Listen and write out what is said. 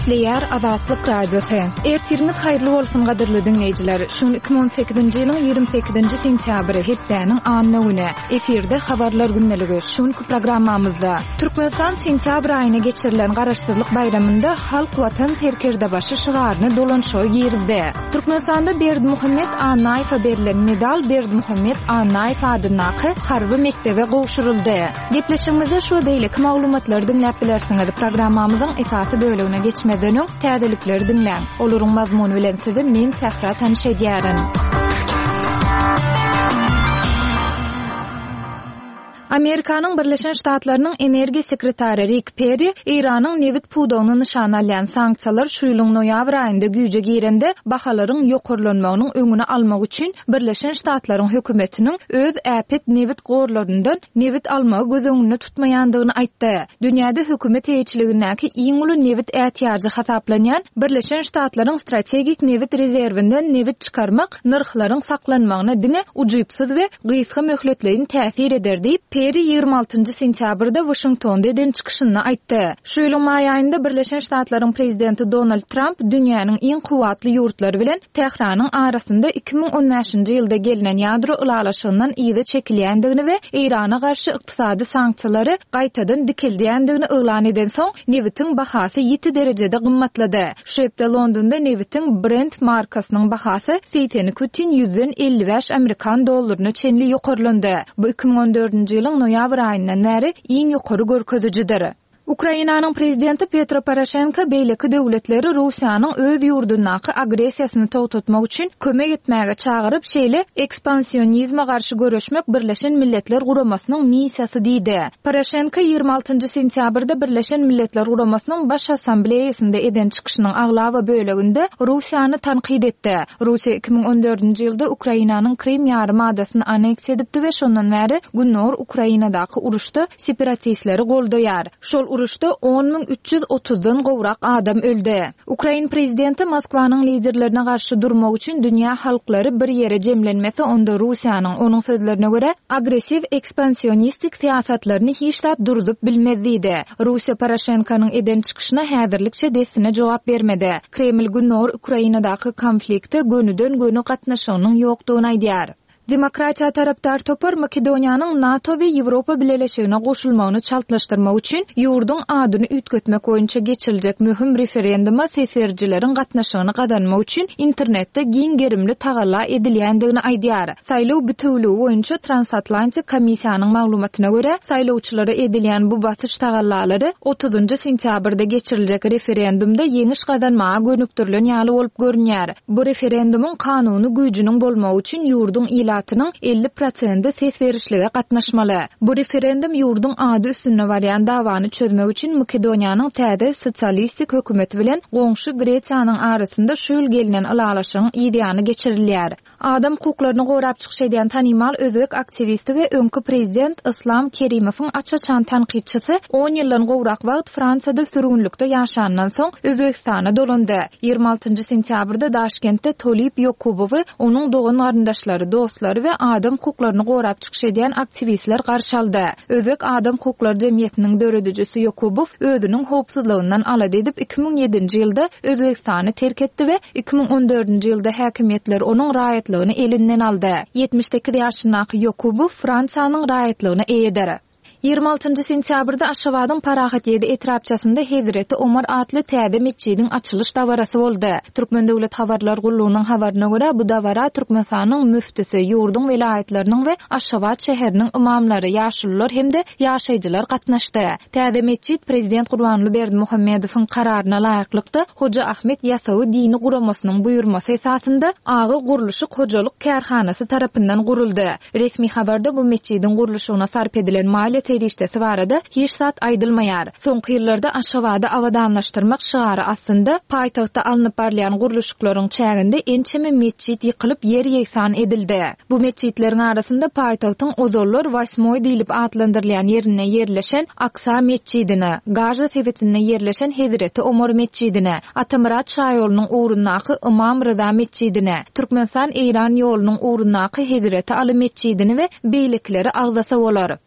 Gepleýär Azatlyk Radiosy. Ertiriňiz haýyrly bolsun gadyrly diňleýjiler. Şu gün 2018-nji ýylyň 28-nji sentýabry, hepdäniň anna güni. Efirde Habarlar gündeligi. Şu günki programmamyzda Türkmenistan sentýabr aýyna geçirilen Garaşsyzlyk baýramynda Halk Watan serkerdebaşy şygaryny dolanyşyga girizdi. Türkmenistanda Berdimuhamet Annaýewe berlen medal Berdimuhamet Annaýew adyndaky harby mekdebe gowşuryldy. Gepleşigimizde şu we beýleki maglumatlary diňläp bilersiňiz. Programmamyzyň esasy bölegine geçmezden öň, täzelikleri diňläň. Olaryň mazmuny bilen sizi men Sähra tanyş edýärin. Amerikanyň Birleşen Ştatlarynyň energiýa sekretary Rik Perri Eýranyň nebit pudagyny nyşana alýan sanksiýalar şu ýylyň noýabr aýynda güýje girende bahalaryň ýokarlanmagynyň öňüni almak üçin Birleşen Ştatlaryň hökümetiniň öz äpet nebit gorlaryndan nebit almagy göz öňünde tutmaýandygyny aýtdy. Dünýäde hökümet eýeçiligindäki iň uly nebit ätiýajy hasaplanýan Birleşen Ştatlaryň strategik nebit rezerwinden nebit çykarmak nyrhlaryň saklanmagyna diňe ujypsyz we gysga möhletleýin täsir eder diýip, Perri 26 sentýabrda Waşingtonda eden çykyşynda aýtdy. Şu ýylyň maý aýynda Birleşen Ştatlaryň prezidenti Donald Tramp dünýäniň iň kuwwatly ýurtlary bilen Tähranyň arasynda 2015-nji ýylda gelnen ýadro ylalaşygyndan yza çekilýändigini we Eýrana garşy ykdysady sanksiýalary gaýtadan dikeldýändigini yglan edensoň, nebitiň bahasy ýiti derejede gymmatlady. Şu hepde Londonda nebitiň Brent markasynyň bahasy 82,55 amerikan dollaryna çenli ýokarlandy. Bu 2014-nji ýylyň noýabr aýyndan bäri iň ýokary görkezijidir. Ukrainanyň prezidenti Petro Poroşenko beýleki döwletleri Russiýanyň öz ýurdundaky agressiýasyny togtatmak üçin kömek etmäge çagyryp, şeýle ekspansionizme garşy göreşmek Birleşen Milletler Guramasynyň missiýasy diýdi. Poroşenko 26 sentýabrda Birleşen Milletler Guramasynyň Baş Assambleýasynda eden çykyşynyň aglaba böleginde Russiýany tankyt etdi. Russiýa 2014-nji ýylda Ukrainanyň Krym ýarym adasyny anneksiýa edipdi we şondan bäri Gündogar Ukrainadaky uruşda separatistleri goldaýar. Şol uruşda 10 330-dan gowrak adam öldi. Ukrain prezidenti Moskwanyň liderlerine garşy durmak üçin dünýä halklary bir ýere jemlenmese, onda Russiýanyň, onuň sözlerine görä, agressiw ekspansionistik syýasatlaryny hiç zat durzup bilmez diýdi. Russiýa Poroşenkonyň eden çykyşyna häzirlikçe dessine jogap bermedi. Kreml Gündogar Ukrainadaky konflikte gönüden-göni gatnaşygynyň ýokdugyny aýdýar. Demokratiýa tarapdar topar Makedoniýanyň NATO we Ýewropa Bileleşigine goşulmagyny çaltlaşdyrmak üçin ýurduň adyny üýtgetmek boýunça geçiriljek möhüm referenduma ses berijileriň gatnaşygyny gazanmak üçin internetde giň gerimli tagalla edilýändigini aýdýar. Saýlaw bitewüligi boýunça Transatlantik komissiýanyň maglumatyna görä, saýlawçylara edilýän bu basyş tagallalary otuzynjy sentýabrda geçiriljek referendumda ýeňiş gazanmaga gönükdirilen ýaly bolup görünýär. Bu referendumyň kanuny güýjüniň bolmagy üçin ýurduň ilatynyň 50 prosendi ses berişlige gatnaşmaly. Bu referendum ýurduň ady üstünde barýan dawany çözmek üçin Makedoniýanyň täze sosialistik hökümeti bilen goňşy Gresiýanyň arasynda şu ýyl gelnen ylalaşygyň yzýany geçirilýär. Adam hukuklaryny gorap çykyş edýän tanymal özbek aktiwisti we öňki prezident Yslam Kerimowyň aç-açan tankytçysy on ýyldan gowrak wagt Fransiýada sürgünlikde ýaşandan soň Özbegistana dolandy. 26 sentýabrda Daşkentde Tolib Ýokubowy onuň dogan-garyndaşlary, dostlary we adam hukuklaryny gorap çykyş edýän aktiwistler garşy aldy. Özbek adam hukuklary jemgyýetiniň döredijisi Ýokubow özüniň howpsuzlygyndan alada edip 2007-nji ýylda Özbegistany terk etdi we 2014-nji ýylda häkimiýetler onuň raýatlygyny elinden aldy. 78 ýaşyndaky Ýokubow Fransiýanyň raýatlygyna eýedir. 26-njy sentýabrda Aşgabadyň Parahat ýedi etrapçasynda Hezreti Omar atly täze metjidiň açylyş dabarasy boldy. Türkmen döwlet habarlar gullugynyň habaryna görä, bu dabara Türkmenistanyň müftüsi, ýurduň welaýatlarynyň we Aşgabat şäheriniň ymamlary, ýaşulular hem-de ýaşaýjylar gatnaşdy. Täze metjit prezident Gurbanguly Berdimuhamedowyň kararyna laýyklykda, Hoja Ahmet Ýasawy dini guramasynyň buýurmasy esasynda Aga gurluşyk hojalyk kärhanasy tarapyndan guruldy. Resmi habarda bu metjidiň gurluşygyna sarp edilen maliýe serişdesi barada hiç zat aýdylmaýar. Soňky ýyllarda Aşgabady abadanlaşdyrmak şygary astynda paýtagtda alnyp barylýan gurluşyklaryň çäginde ençeme metjit ýykylyp ýer-ýegsan edildi. Bu metjitleriň arasynda paýtagtyň ozallar Wasmoý diýlip atlandyrylýan ýerinde ýerleşen Aksa metjidini, Gaza sebitinde ýerleşen Hezreti Omar metjidini, Atamyrat şaýolunyň ugrundaky Ymam Ryza metjidini, Türkmenistan-Eýran ýolunyň ugrundaky Hezreti Aly metjidini we beýlekileri agzasa bolar.